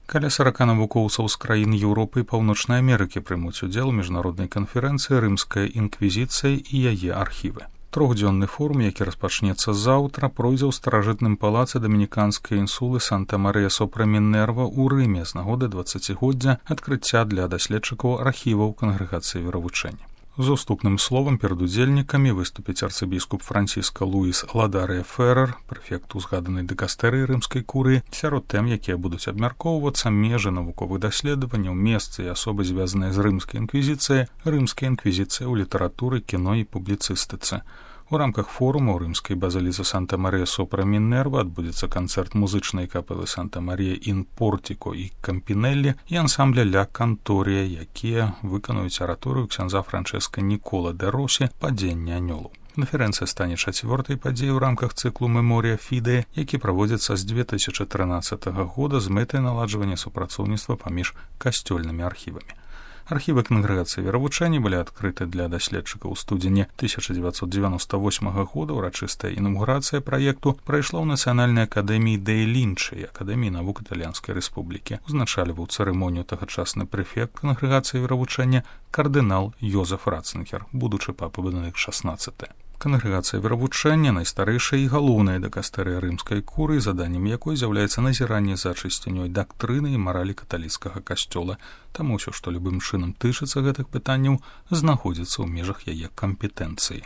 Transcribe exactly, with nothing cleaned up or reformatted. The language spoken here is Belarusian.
Каля сарака навукоўцаў з краін Еўропы і Паўночнай Амерыкі прымуць удзел у міжнароднай канферэнцыі «Рымская інквізіцыя і яе архівы». Трохдзённы форум, які распачнецца заўтра, пройдзе ў старажытным палацы дамініканскай інсулы Санта-Марыя-сопра-Мінерва ў Рыме з нагоды дваццацігоддзя адкрыцця для даследчыкаў архіваў кангрэгацыі веравучэння. З уступным словам перад удзельнікамі выступіць арцыбіскуп Франціска Луіс Ладарыя Феррер, прэфект узгаданай дыкастэрыі рымскай курыі. Сярод тэм, якія будуць абмяркоўвацца, межы навуковых даследаванняў, месцы і асобы, звязаныя з рымскай інквізіцыяй, рымская інквізіцыя ў літаратуры, кіно і публіцыстыцы. У рамках форуму ў рымскай базіліцы Санта-Марыя-сопра-Мінерва адбудзецца канцэрт музычнай капелы Санта-Марія ін Портіко і Кампінеллі і ансамбля Ля Канторія, якія выканаюць араторыю ксяндза Франчэска Нікола де Росі «Падзенне анёлаў». Канферэнцыя стане чацвёртай падзеяй у рамках цыклу «Меморія Фідэ», які праводзіцца з дзве тысячы трынаццатага года з мэтай наладжвання супрацоўніцтва паміж касцёльнымі архівамі. Архівы кангрэгацыі веравучэння былі адкрыты для даследчыкаў у студзені тысяча дзевяцьсот дзевяноста восьмага года. Урачыстая інаўгурацыя праекту прайшла ў Нацыянальнай акадэміі дэй Лінчы і Акадэміі навук Італьянскай рэспублікі. Узначальваў цырымонію тагачасны прэфект кангрэгацыі веравучэння кардынал Йозеф Ратцынгер, будучы папа Бенедыкт шаснаццаты. Кангрэгацыя веравучэння найстарэйшая і галоўная дыкастэрыя рымскай курыі, заданнем якой з'яўляецца назіранне за чысцінёй дактрыны і маралі каталіцкага касцёла. Таму ўсё, што любым чынам тычыцца гэтых пытанняў, знаходзіцца ў межах яе кампетэнцыі.